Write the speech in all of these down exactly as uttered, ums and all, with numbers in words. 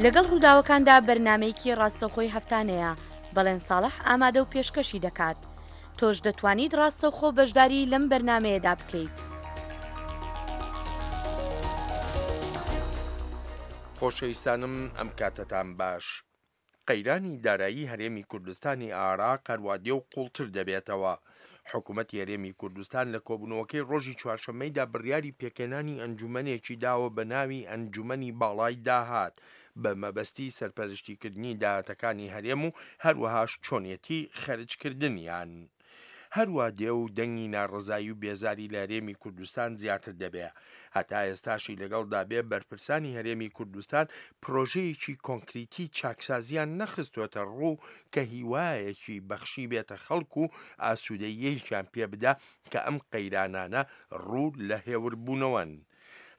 لەگەڵ ڕووداوەکاندا بەرنامەیەکی ڕاستەوخۆی هەفتانەیە، بەڵێن ساڵح ئامادە و پێشکەشی دەکات. تۆش دەتوانیت ڕاستەوخۆ بەشداری لەم بەرنامەیەدا بکەیت. خۆشەویستانم ئەم کاتەتان باش. قەیرانی دارایی هەرێمی کوردستانی عێراق هەروا دێ و قوڵتر دەبێتەوە. حکوومەتی هەرێمی کوردستان لە کۆبوونەوەکەی ڕۆژی چوارشەممەیدا بڕیاری پێکهێنانی ئەنجومەنێکی داوە بە ناوی ئەنجومەنی باڵای داهات بە مەبەستی سەرپەرشتیکردنی داهاتەکانی هەرێم و هەروەهاش چۆنیەتی خەرجکردنیان. هەروا دێ و دەنگی ناڕەزایی و بێزاری لە هەرێمی کوردستان زیاتر دەبێ. هەتا ئێستاشی لەگەڵدا بێ بەرپرسانی هەرێمی کوردستان پرۆژەیەکی کۆنکریتی چاکسازیان نەخستۆتە ڕوو کە هیوایەکی بەخشی بێتە خەڵک و ئاسوودەییەکیان پێ بدا کە ئەم قەیرانانە ڕوو لە هێوربوونەوەن.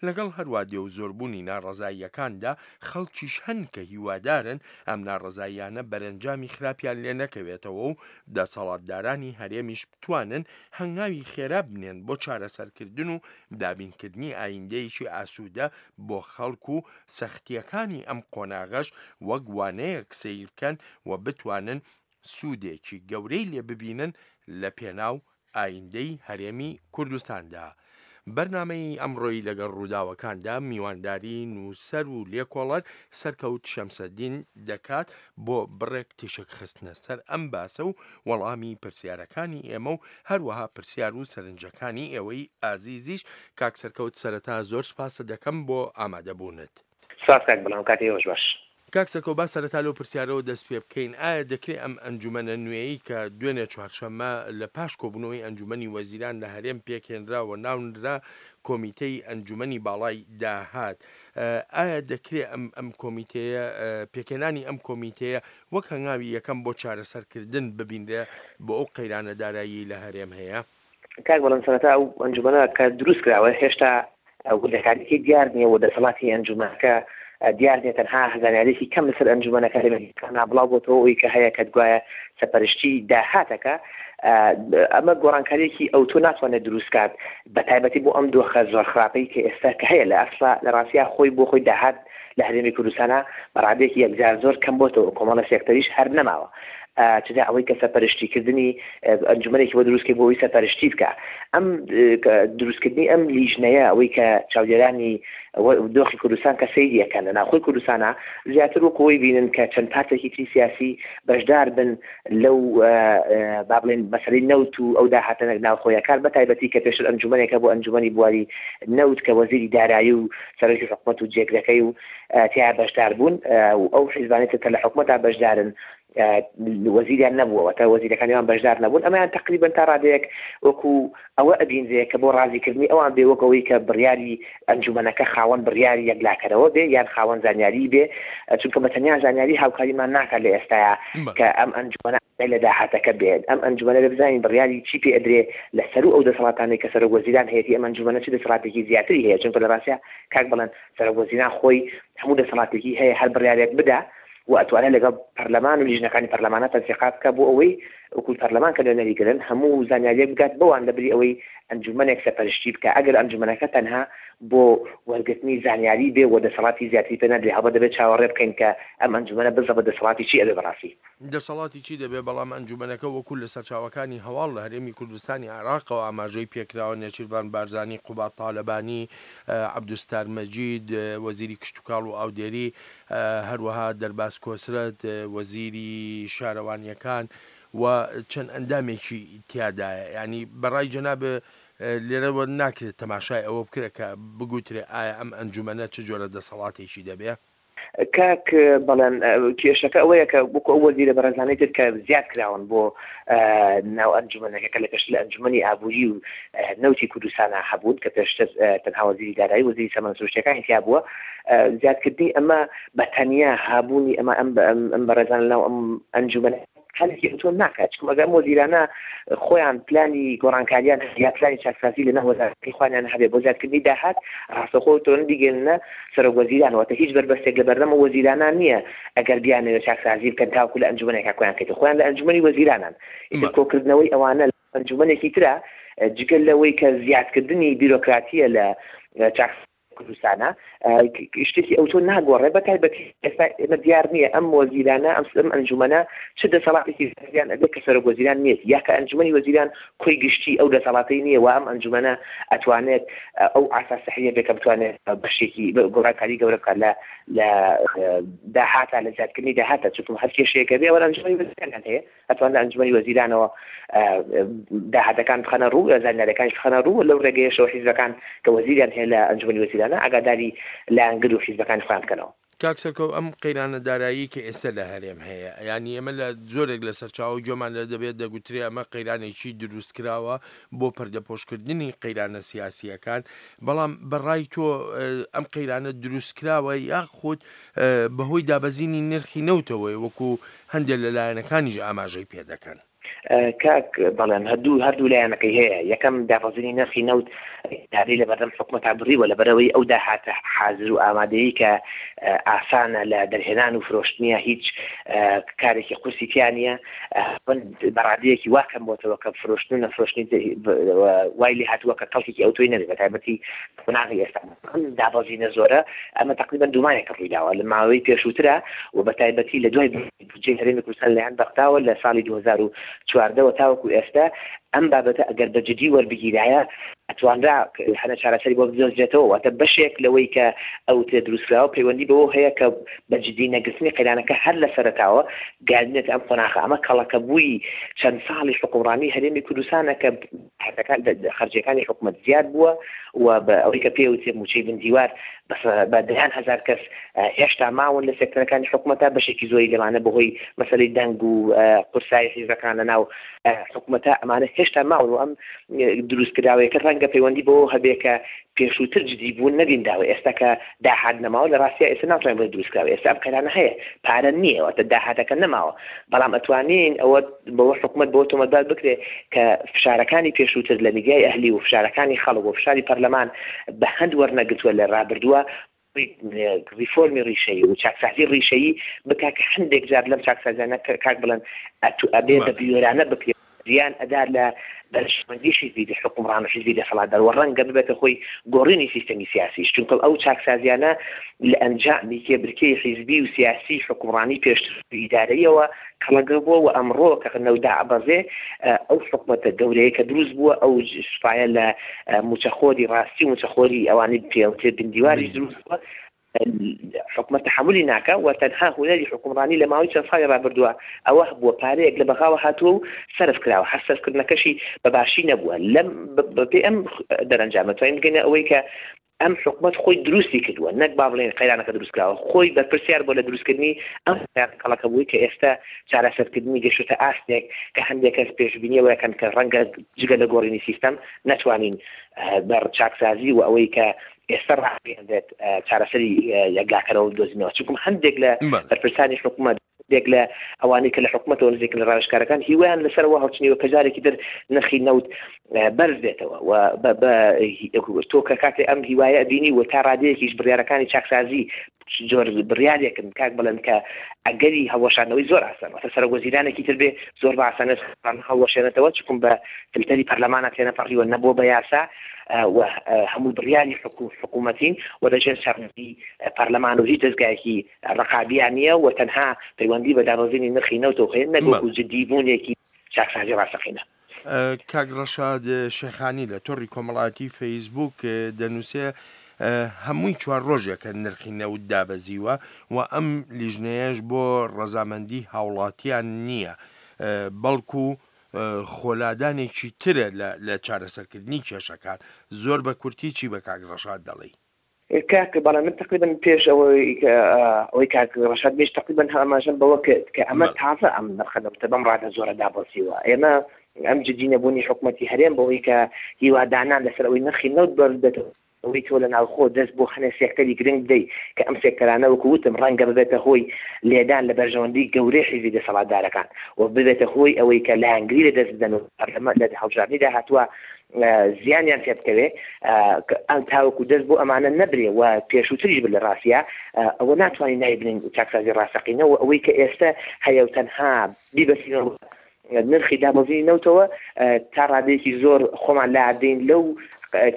لەگەڵ هەروا دێ و زۆربوونی ناڕەزاییەکاندا خەڵکیش هەن کە هیوادارن ئەم ناڕەزاییانە بەرەنجامی خراپیان لێ نەکەوێتەوە و دەسەڵاتدارانی هەرێمیش بتوانن هەنگاوی خێرا بنێن بۆ چارەسەرکردن و دابینکردنی ئایندەیەکی ئاسوودە بۆ خەڵک و سەختیەکانی ئەم قۆناغەش وەک وانەیەک سەیر بکەن و بتوانن سوودێکی گەورەی لێ ببینن لە پێناو ئایندەی هەرێمی کوردستاندا. بەرنامەی ئەمڕۆی لەگەڵ ڕووداوەکاندا میوانداری نووسەر و لێکۆڵەر سەرکەوت شەمسەدین دەکات بۆ بڕێک تیشک خستنە سەر ئەم باسە و وەڵامی پرسیارەکانی ئێمە و هەروەها پرسیار و سەرنجەکانی ئێوەی ئازیزیش. کاک سەرکەوت سەرەتا زۆر سپاست دەکەم بۆ ئامادەبوونت. سپاس کاک بەڵام کاتی ئێوەش باش. کاک سەرکەوت با سەرەتا لەو پرسیارەوە دەست پێ بکەین، ئایا دەکرێت ئەم ئەنجومەنە نوێیەی کە دوێنێ چوارشەممە لە پاش کۆبوونەوەی ئەنجومەنی وەزیران لە هەرێم پێکهێنرا و ناونرا کۆمیتەی ئەنجومەنی باڵای داهات، ئایا دەکرێت ئەم ئەم کۆمیتەیە پێکهێنانی ئەم کۆمیتەیە وەک هەنگاوی یەکەم بۆ چارەسەرکردن ببینرێ بۆ ئەو قەیرانە دارایی لە هەرێم هەیە؟ کاک بەڵێن سەرەتا ئەو ئەنجومەنە کە دروست کراوە هێشتا وردەکاریەکەی دیار نییە و دەسەڵاتی ئەنجومەنەکە دیار نییە، تەنها زانیاریەکی کەم لەسەر ئەنجومەنەکە لە میدیاکاندا بڵاو بۆتەوە ئەوی کە هەیە کە گوایە سەرپەرشتی داهاتەکە. ئەمە گۆڕانکاریەکی ئەوتۆ ناتوانێت دروست کات بە تایبەتی بۆ ئەم دۆخە زۆر خراپەی کە ئێستا کە هەیە. لە ئەسڵا لە ڕاستیا خۆی بۆ خۆی داهات لە هەرێمی کوردستانە بە ڕادەیەکی یەکجار زۆر کەم بۆتەوە، کۆمەڵە سێکتەریش هەر نەماوە. چدا ئەوەی کە سەرپەرشتیکردنی ئەنجومەنێکی بۆ دروستکەی بۆ ئەوەی سەرپەرشتی بکە، ئەم دروستکردنی ئەم لیژنەیە ئەوەی کە چاودێرانی دۆخی کوردستان کە سەیریەکەن لە ناوخۆی کوردستانە زیاتر وەکو ئەوەی بینن کە چەند پارتێکی تری سیاسی بەشدار بن لەو با بڵێن مەسەلەی نەوت و ئەو داهاتە ناوخۆیەکان، بە تایبەتی کە پێشتر ئەنجومەنێکە بۆ ئەنجومەنی بواری نەوت کە وەزیری دارایی و سەرۆکی حکومەت و جێگرەکەی و تیا بەشدار بوون و ئەو حیزبانەی تر کە لە حکومەتا بەشدارن وەزیریان نەبووەوە تا وەزیرەکانیان بەشدار نەبوون. ئەمەیان تقریبا تا ڕادەیەک وەکو ئەوە ئەبینرێ کە بۆ ڕازیکردنی ئەوان بێ، وەک ئەوەی کە بڕیاری ئەنجومەنەکە خاوەن بڕیاری یەکلاکەرەوە بێ یان خاوەن زانیاری بێ، چونکە بە تەنیا زانیاری هاوکاریمان ناکات لە ئێستایا کە ئەم ئەنجومەنە لە داهاتەکە بێت. ئەم ئەنجومەنە بێ بزانین بڕیاری چی پێ ئەدرێ لە سەرو ئەو دەسەڵاتانەی کە سەرۆک وەزیران هەیەتی، ئەم ئەنجومەنە چ دەسەڵاتێکی زیاتری هەیە؟ چونکە لە ڕاستیا کاک بڵێن سەرۆک وەزیران خۆی هەموو دەسەڵاتێکی هەیە، هەر بڕیارێک بدا و ئەتوانێت لەگەڵ پەرلەمان و لیژنەکانی پەرلەمانە تەنسیقات بکە بۆ ئەوەی وەکو پەرلەمان کە نوێنەری گرن هەموو زانیاریەک بگات بەوان، لەبری ئەوەی ئەنجومەنێک سەرپەرشتی بکە. ئەگەر ئەنجومەنەکە تەنها بۆ وەرگرتنی زانیاری بێ و دەسەڵاتی زیاتری پێ نادرێ، هەڵبەت دەبێت چاوەڕێ بکەین کە ئەم ئەنجومەنە بزە بە دەسەڵاتی چی ئەبێ بەڕاستی. دەسەڵاتی چی دەبێ؟ بەڵام ئەنجومەنەکە وەکو لە سەرچاوەکانی هەواڵ لە هەرێمی کوردستانی عێراقەوە ئاماژەی پێکراوە، نێچیرڤان بارزانی، قوباد تالەبانی، عەبدولستار مەجید وەزیری کشتوکاڵ و ئاودێری، هەروەها دەرباز کۆسرەت وەزیری شارەوانیەکان و چەند ئەندامێکی تیادایە. ینی بەڕای جەناب لێرەوە ناکرێت تەماشای ئەوە بکرێت کە بگوترێ ئایا ئەم ئەنجومەنە چ جۆرە دەسەڵاتێکی دەبێ؟ کاک بەڵێن کێشەکە ئەوەیە کە وەکو ئەو وەزیرە بەڕێزانەی تر کە زیاد کراون بۆ ناو ئەنجومەنەکە کە لە پێشتر لە ئەنجومەنی ئابووری و نەوتی کوردستانە هەبوون کە پێشتر تەنها وەزیری دارایی وەزیری سامانە سروشتیەکانی تیا بووە، زیادکردنی ئەمە بە تەنیا هابوونی ئەمە ئەم بەڕێزان لەناو ئەم ئەنجومەنە هەلێکی ئەوتۆ ناکات. چونکە ئەگەر ئەم وەزیرانە خۆیان پلانی گۆڕانکاریان یا پلانی چاکسازی لەناو وەزارەتەکەی خۆیان هەبێ بۆ زیادکردنی داهات، ڕاستەوخۆ تۆن بیگەننە سەرۆک وەزیران، واتە هیچ بەربەستێک لە بەردەم وەزیرانان نییە ئەگەر بیانەوێت چاکسازی بکەن تاوەکو لە ئەنجومەنێکا کۆیان کەیتەوە، خۆیان لە ئەنجومەنی وەزیرانان. ئیتر کۆکردنەوەی ئەوانە لە ئەنجومەنێکی ترە جگە لەوەی کە زیادکردنی بیرۆکراتیە لە چاک کوردستانە شتێکی ئەوتۆ ناگۆڕێ، بە تایبەتی ئێستا ئێمە دیار نییە ئەم وەزیرانە ئەم ئەم ئەنجومەنە چ دەسەڵاتێکی زیان ئەبێ کە سەرۆک وەزیران نییە، یا کە ئەنجومەنی وەزیران کۆی گشتی ئەو دەسەڵاتەی نییە و ئەم ئەنجومەنە ئەتوانێت ئەو ئاسا سەحریە بێ کە بتوانێت بەشێکی گۆڕانکاری گەورە بکات لە لە داهاتە لە زیادکردنی داهاتە، چونکە هەر کێشەیەکە بێ ئەوە ئەنجومەنی وەزیرانیان هەیە، ئەتوانن لە ئەنجومەنی وەزیرانەوە داهاتەکان بخەنە ڕوو، زانیاریەکانیش بخەنە ڕوو، لەو ڕێگەیەشەوە حیزبەکان کە وەزیریان هەیە لە ئەنجومەنی وەزیرانە ئاگاداری لایەنگر و حیزبەکانی خۆیان بکەنەوە. کاک سەرکەوت، ئەم قەیرانە دارایی کە ئێستا لە هەرێم هەیە، یعنی ئێمە لە زۆرێک لە سەرچاوە گوێمان لە دەبێت دەگوترێ ئەمە قەیرانێکی دروست کراوە بۆ پەردەپۆشکردنی قەیرانە سیاسیەکان، بەڵام بەڕای تۆ ئەم قەیرانە دروست کراوە یاخود بەهۆی دابەزینی نرخی نەوتەوەی وەکو هەندێک لە لایەنەکانیش ئاماژەی پێدەکەن؟ کاک بەڵێن هەردوو هەردوو لایەنەکەی هەیە. یەکەم دابەزینی نرخی نەوت دادەی لەبەردەم حکومەتا بڕیوە، لەبەرەوەی ئەو داهاتە حازر و ئامادەیی کە ئاسانە لە دەرهێنان و فرۆشتنیە، هیچ کارێکی قورسی تیا نییە، بەڕادەیەکی وا کەم بۆتەوە کە فرۆشتن و نەفرۆشتنی وای لێ هاتووە کە کەڵکێکی ئەوتۆی نەبێت، بە تایبەتی قۆناغی ئێستا ئەم دابەزینە زۆرە ئەمە تقریبا دوومانێکە ڕوویداوە لە ماوەی پێشووترە و بە تایبەتی لە دوای بودجەی هەرێمی کوردستان لەلایەن بەغداوە لە ساڵی دوو هەزار و چواردەوە تاوەکو ئێستا ئەم بابەتە ئەگەر بە جدی وەربگیرایە ئەتوانرا هەنە چارەسەری بۆ بدۆزرێتەوە. واتە بەشێک لەوەی کە ئەو تێ دروستکراوە پەیوەندی بەوە هەیە کە بە جدی نەگرتنی قەیرانەکە هەر لە سەرەتاوە گەیاندنێتە ئەم قۆناغە. ئەمە کەڵەکە بووی چەند ساڵی حکومڕانی هەرێمی کوردستانە کە خەرجیەکانی حکومەت زیاد بووە و بە ئەوەی کە پێوتێ موچەی بندیوار بە دەیان هەزار کەس هێشتا ماون لە سێکتەرەکانی حکومەتە، بەشێکی زۆری لەمانە بەهۆی مەسەلەی دەنگ و قورسایی حیزبەکان لە ناو حکومەتە ئەمانە هێشتا ماون و ئەم دروستکراوەیەکە ڕەنگە پەیوەندی بەوە هەبێ کە پێشووتر جدی بوون نەبینداوە. ئێستا کە داهات نەماوە لە ڕاستیا ئێستا ناتوانین بڵێ دروستکراوە، ئێستا ئەم قەیرانە هەیە، پارە نییە، واتە داهاتەکە نەماوە، بەڵام ئەتوانین ئەوە بەوە حکومەت بەوە تۆمەتبار بکرێ کە فشارەکانی پێشووتر لە میدیای ئەهلی و فشارەکانی خەڵک و فشاری پەرلەمان بە هەند وەرنەگرتووە لە ڕابردووە ڕیفۆرمی ڕیشەیی و چاکسازی ڕیشەیی بکا کە هەندێک جار لەم چاکسازیانە کاک بڵێن ئەبێ بە بیۆرانە بکرێت، زیان ئەدار لە بەرژەوەندی حیزبی حکومڕان و حیزبی دەسەڵاتدار و ڕەنگە ببێتە خۆی گۆڕینی سیستەمی سیاسیش، چونکە ئەو چاکسازیانە لە ئەنجامی کێبرکێی حیزبی و سیاسی حکومڕانی پێشتر ئیدارەیەوە کەڵەگە بووە و ئەمڕۆ کە نەودا ئەبەزێ ئەو حکومەتە گەورەیە کە دروست بووە ئەو سوپایە لە موچەخۆری ڕاستی و موچەخۆری ئەوانەی پێوتێ بندیواریش دروست بووە، حکومەت تەحەمولی ناکا و تەنها هونەری حکومڕانی لە ماوەی چەند ساڵی ڕابردووە ئەوە بووە پارەیەک لە بەغاوە هاتووە و سەرف کراوە، هەر سەرفکردنەکەشی بە باشی نەبووە. لەم بەپێی ئەم دەرەنجامە توانین بگەینە ئەوەی کە ئەم حکومەت خۆی دروستی کردووە، نەک با بڵێن قەیرانەکە دروست کراوە، خۆی بەرپرسیار بووە لە دروستکردنی ئەم کەڵەکە بووی کە ئێستا چارەسەرکردنی گەشتە ئاستێک کە هەندێک کەس پێشبینیەوە یەکەن کە ڕەنگە جگە لە گۆڕینی سیستەم نەتوانین بە چاکسازی و ئەوەی کە ئێستا ڕاگەیاندرێت چارەسەری یەکلاکەرەوە بدۆزینەوە، چونکە هەندێک لە بەرپرسانی حکومەت، هەندێک لە ئەوانەی کە لە حکومەتەوە نزیکن لە ڕاوێژکارەکان هیوایان لەسەرەوە هەڵچنیوە کە جارێکی تر نرخی نەوت بەرز بێتەوە و تۆ کە کاتێ ئەم هیوایە ئەبینی و تا ڕادەیەکیش بڕیارەکانی چاکسازی زۆر بڕیارێکن کاک بڵێن کە ئەگەری هەڵوەشاندنەوەی زۆر ئاسان، واتە سەرۆک وەزیرانێکی تر بێ زۆر بە ئاسانێت هەڵوەشێنێتەوە، چونکە بە فلتەری پەرلەمانە تێنەپەڕیوە، نەبووە بە یاسا و هەموو بڕیاری حکوومەتین و دەژێر چاودێری پەرلەمان و هیچ دەزگایەکی ڕقابیان نییە و تەنها پەیوەندی بە دابەزینی نرخی نەوتەوە هەیە، نەک وەکو جدی بوونێکی چاکسازی ڕاستەقینە. کاک ڕەشاد شێخانی لە تۆڕی کۆمەڵایەتی فەیسبوک دەنووسێ هەمووی چوار ڕۆژێکە نرخی نەوت دابەزیوە و ئەم لیژنەیەش بۆ ڕەزامەندی هاوڵاتیان نییە، بەڵکو خۆلادانێکی ترە لە چارەسەرکردنی کێشەکان. زۆر بە کورتی چی بە کاک ڕەشاد دەڵێی؟ کاک بەڵێ من تقریبا پێش ئەوەی ئەوەی کاک ڕەشاد بێش تقریبا ئاماژەم بەوە کرد کە ئەمە تازە ئەم نرخە نەوتە بەم ڕادە زۆرە دابەزیوە. ئێمە ئەم جدی نەبوونی حکومەتی هەرێم بەوەی کە هیوادانان لەسەر ئەوەی نرخی نەوت بەرز بێتەوە، ئەوەی تۆ لە ناوخۆ دەست بۆ هەنێ سێکتەری گرنگ بدەیت کە ئەم سێکتەرانە وەکو وتم ڕەنگە ببێتە هۆی لێدان لە بەرژەوەندی گەورەی حیزبی دەسەڵاتدارەکان و ببێتە هۆی ئەوەی کە لایەنگری لە دەست بدەن و پەرلەمان لە هەڵبژاردنی داهاتووە زیانیان پێ بکەوێ، تاوەکو دەست بۆ ئەمانە نەبرێ و پێشووتریش بن لە ڕاستیا ئەوە ناتوانین ناوی بنین چاکسازی ڕاستەقینە و ئەوەی کە ئێستا هەیە و تەنها بیبەستینەوە نرخی دابەزینی نەوتەوە تا ڕادەیەکی زۆر خۆمان لادەین لەو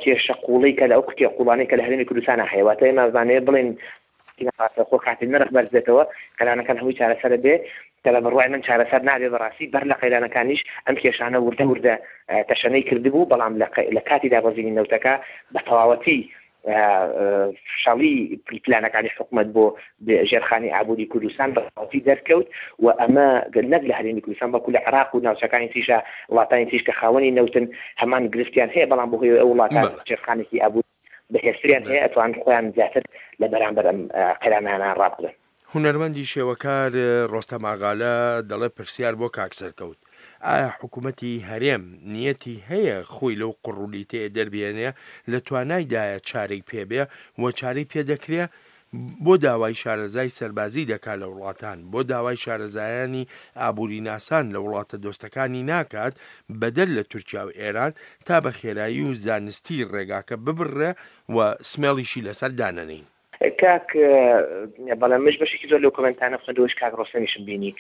کێشە قوڵی کە لە ئەو کێ قوڵانەی کە لە هەرێمی کوردستانە هەیە. واتە ئێمە زانێ بڵێن ڕاستەوخۆ کاتێ نرخ بەرز بێتەوە قەیرانەکان هەمووی چارەسەر بێ، کە لە بڕوای من چارەسەر نابێ بەڕاستی. بەر لە قەیرانەکانیش ئەم کێشانە وردە وردە تەشەنەی کردبوو، بەڵام لە کاتی دابەزینی نەوتەکە بە تەواوەتی شەڵی پلانەکانی حکومەت بۆ ژێرخانی ئابووری کوردستان بەتەواوەتی دەرکەوت و ئەمە نەک لە هەرێمی کوردستان بەڵکو لە عێراق و ناوچەکانی تریشە وڵاتانی تریش کە خاوەنی نەوتن هەمان گرفتیان هەیە، بەڵام بەهۆی ئەو وڵاتان ژێرخانێکی ئابووری بەهێزتریان هەیە ئەتوان خۆیان زیاتر لە بەرامبەر ئەم قەیرانانە ڕابگرن. هونەرمەندی شێوەکار ڕۆستەم ئاغالە دەڵێ پرسیار بۆ کاک سەرکەوت، ئایا حکوومەتی هەرێم نیەتی هەیە خۆی لەو قڕولیتەیە دەربێنێ؟ لە توانایدایە چارەی پێبێ و چارەی پێدەکرێ؟ بۆ داوای شارەزای سەربازی دەکا لە وڵاتان، بۆ داوای شارەزایانی ئابووریناسان لە وڵاتە دۆستەکانی ناکات بەدەر لە تورکیا و ئێران تا بە خێرایی و زانستی ڕێگاکە ببڕێ و سمێڵیشی لەسەر دانەنین؟ کاک بەڵام مش بەشێکی زۆر لەو کۆمێنتانە خوێندەوەش کاک ڕۆستەمیشم بینی.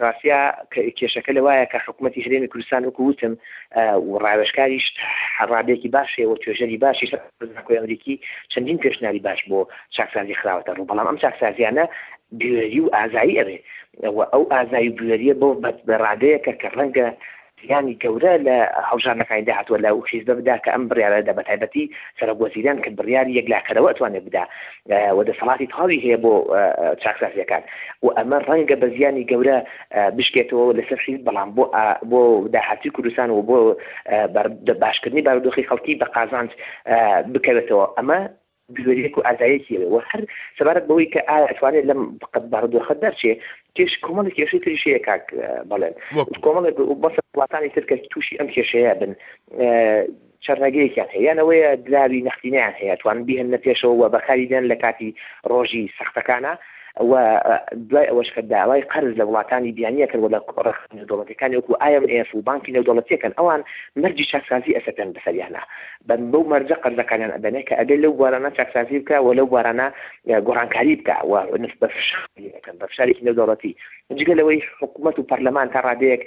ڕاستیا کێشەکە لەوایە کە حکوومەتی هەرێمی کوردستان وەکو وتم و ڕاوێژکاریش ڕادەیەکی باش هەیە و توێژەری باشیش زانکۆی ئەمریکی چەندین پێشنیاری باش بۆ چاکسازی خراوەتە ڕوو، بەڵام ئەم چاکسازیانە بوێری و ئازایی ئەوێ و ئەو ئازایی و بوێریە بۆ بە ڕادەیەکە کە ڕەنگە زیانی گەورە لە هەڵبژاردنەکانی داهاتووە لە حیزبە بدا کە ئەم بڕیارەدا بە تایبەتی سەرۆک وەزیران کە بڕیاری یەکلاکەرەوە ئەتوانێت بدا و دەسەڵاتی تەواوی هەیە بۆ چاکسازیەکان و ئەمە ڕەنگە بە زیانی گەورە بشکێتەوە لەسەر حیزب، بەڵام بۆ بۆ داهاتووی کوردستان و بۆ باشکردنی بارودۆخی خەڵکی بە قازانج بکەوێتەوە. ئەمە بوێریەک و ئازایەکی هەیە و هەر سەبارەت بەوەی کە ئایا ئەتوانێت لەم بارودۆخە دەرچێ، کێش کۆمەڵێک کێشەی تریش هەیە کاک بەڵێن، کۆمەڵێک بەسەر وڵاتانی تر کە تووشی ئەم کێشەیە بن چەرنەگەیەکیان هەیە، یان ئەوەیە دراوی نەختینەیان هەیە توان بیهێننە پێشەوە و بەکاری بێن لە کاتی ڕۆژی سەختەکانە و دوای ئەوەش کە داوای قەرز لە وڵاتانی بیانیە کرد و لە ڕێکخراوە نێودەوڵەتیەکانی وەکو ئای ئێم ئێف و بانکی نێودەوڵەتیەکەن ئەوان مەرجی چاکسازی ئەسەپێن بەسەریانە بەو مەرجە قەرزەکانیان ئەبەنێ کە ئەبێ لەو بوارانە چاکسازی بکە و لەو بوارانە گۆڕانکاری بکە و بە فشار بە فشارێکی نێودەوڵەتی. جگە لەوەی حکوومەت و پەرلەمان تا ڕادەیەک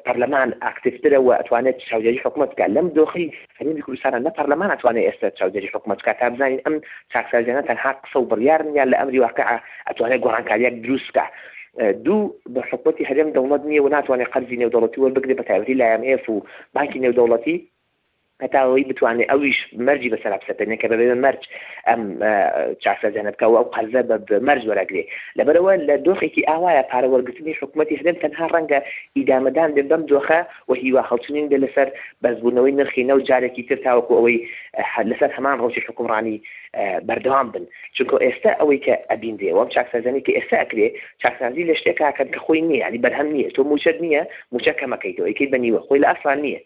پەرلەمان ئاکتیڤترە و ئەتوانێت چاودێری حکوومەت بکات. لەم دۆخی هەرێمی کوردستانە نە پەرلەمان ئەتوانێت ئێستا چاودێری حکوومەت بکات تا بزانین ئەم چاکسازیانە تەنها قسە و بڕیارن یان لە ئەمری واقع ئەتوانێت گۆڕانکارییەک دروست بکات. دوو، بە حکوومەتی هەرێم دەوڵەت نییە و ناتوانێت قەرزی نێودەوڵەتی وەربگرێت بە تایبەتی لە ئای ئێم ئێف و بانکی نێودەوڵەتی هەتا ئەوەی بتوانێت ئەویش مەرجی بەسەرا بسەپێنێ کە بەبێ مەرج ئەم چاکسازیانە بکە و ئەو قەرزە بە مەرج وەرەگرێ. لەبەرەوە لە دۆخێکی ئاوایە پارە وەرگرتنی حکوومەتی هەرێم تەنها ڕەنگە ئیدامەدان بێ بەم دۆخە و هیوا هەڵچنین بێ لەسەر بەرزبوونەوەی نرخی نەوت جارێکی تر تاوەکو ئەوەی لەسەر هەمان ڕەوتی حکومڕانی بەردەوام بن. چونکە ئێستا ئەوەی کە ئەبینرێ و ئەم چاکسازیانەی کە ئێستا ئەکرێ چاکسازی لە شتێکا کەن کە خۆی نییە، یعنی بەرهەم نییە. تۆ مووچەت نییە، مووچە کەمەکەیتەوە ئەیکەیت بە نیوە، خۆی لە ئەسڵان نییە.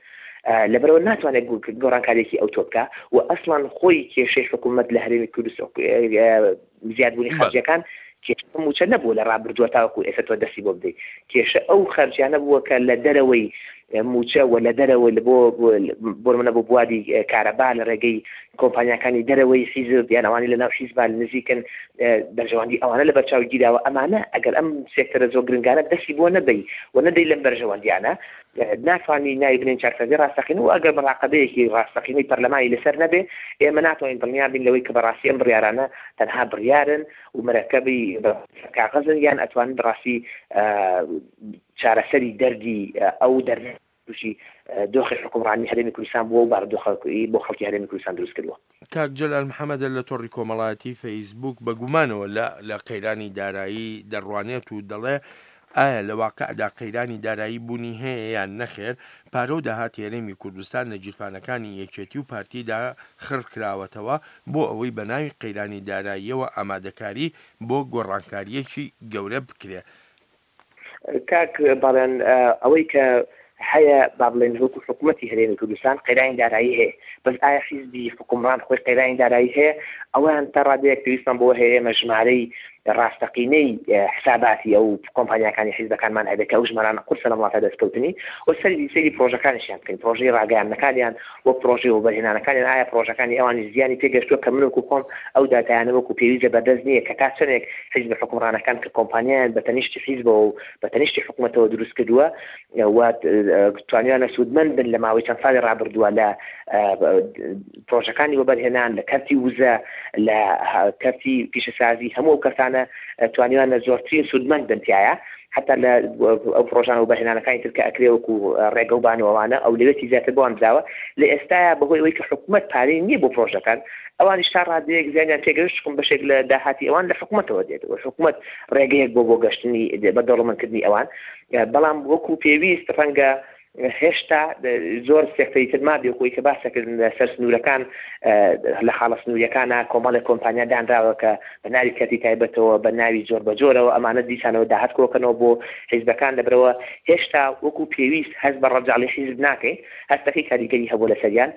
لەبەرەوە ناتوانێت گۆڕانکاریەکی ئەو تۆ بکە و ئەسڵان خۆی کێشەی حکوومەت لە هەرێمی کوردستان زیادبوونی خەرجیەکان کێشە مووچە نەبووە لە ڕابردووە تاوەکو ئێستا تۆ دەستی بۆ بدەیت. کێشە ئەو خەرجیانە بووە کە لە دەرەوەی مووچە و لە دەرەوەی بۆ بۆ نمونە بۆ بواری کارەبا لە ڕێگەی کۆمپانیاکانی دەرەوەی حیزب یان ئەوانەی لەناو حیزبان نزیکن بەرژەوەندی ئەوانە لەبەرچاو گیراوە. ئەمانە ئەگەر ئەم سێکتەرە زۆر گرنگانە دەستی بۆ نەبەی و نەدەی لەم بەرژەوەندیانە ناتوانانی ناوی بنێین چاکسازی ڕاستەقینە و ئەگەر مراقبەیەکی ڕاستەقینەی پەرلەمانی لەسەر نەبێ ئێمە ناتوانین دڵنیا بین لەوەی کە بەڕاستی ئەم بڕیارانە تەنها بڕیارن و مرەکەبی کاغەزن یان ئەتوانن بەڕاستی چارەسەری دەردی ئەو دەردە تووشی دۆخی حکومڕانی هەرێمی کوردستان بووە و بارودۆخی بۆ خەڵکی هەرێمی کوردستان دروست کردووە. کاک جەلال محەمەدە لە تۆڕی کۆمەڵایەتی فەیسبوک بە گومانەوە لە لە قەیرانی دارایی دەڕوانێت و دەڵێ ئایا لە واقعدا قەیرانی دارایی بوونی هەیە یان نەخێر، پارە و داهاتی هەرێمی کوردستان لە گیرفانەکانی یەکێتی و پارتیدا خڕکراوەتەوە بۆ ئەوەی بە ناوی قەیرانی داراییەوە ئامادەکاری بۆ گۆڕانکارییەکی گەورە بکرێ. کاک بەڵێن، ئەوەی کە هەیە با بڵێن وەکو حکوومەتی هەرێمی کوردستان قەیرانی دارایی هەیە، بەس ئایا حیزبی حکومڕان خۆی قەیرانی دارایی هەیە؟ ئەویان تا ڕادەیەک پێویستمان بۆ هەیە ئێمە ژمارەی ڕاستەقینەی حساباتی ئەو کۆمپانیاکانی حیزبەکانمان هەبێت کە ئەو ژمارانە قورسە لە وڵاتە دەستکەوتنی و سەری سەیری پرۆژەکانیشیان بکەین، پرۆژەی ڕاگەیاندنەکانیان و پرۆژەی وەبەرهێنانەکانیان، ئایا پرۆژەکانی ئەوانی زیانی پێگەشتووە کە من وەکو خۆم ئەو داتایانە وەکو پێویست لە بەردەست نییە کە تا چەندێک حیزب حکومڕانەکان کە کۆمپانیایان بە تەنیشتی حیزبەوە و بە تەنیشتی حکومەتەوە دروست کردووە و توانیانە سوودمەند بن لە ماوەی چەند ساڵی ڕابردووە لە پرۆژەکانی وەبەرهێنان، لە کەرتی وزە، لە کەرتی پیشەسازی، هەموو ئەو کەسانە توانیوانە زۆرترین سوودمەند بن تایە، حتا لە ئەو پرۆژان و بەرهێنانەکانی تر کە ئەکرێ وەکو ڕێگە و بانەوەوانە ئەو لەوێتی زیاتر بۆیان دراوە. لە ئێستایا بەهۆی ئەوەی کە حکوومەت پارەی نییە بۆ پرۆژەکان، ئەوانیش تا ڕادەیەک زیانیان پێگەشت، چونکە بەشێک لە داهاتی ئەوان لە حکوومەتەوە دێت و حکوومەت ڕێگەیەک بۆ بۆ گەشتنی بە دەوڵەمەندکردنی ئەوان، بەڵام وەکو پێویست ڕەنگە هێشتا زۆر سێکتەری تر مابێ خۆی کە باسەکردن لەسەر سنوورەکان، لە خاڵە سنووریەکانە کۆمەڵێک کۆمپانیا دانراوە کە بە ناوی کەرتی تایبەتەوە بە ناوی زۆر بەجۆرەوە ئەمانە دیسانەوە داهات کۆکەنەوە بۆ حیزبەکان. لەبەرەوە هێشتا وەکو پێویست هەست بە ڕەجاڵی حیزب ناکەین، هەستەکەی کاریگەری هەبوو لەسەریان،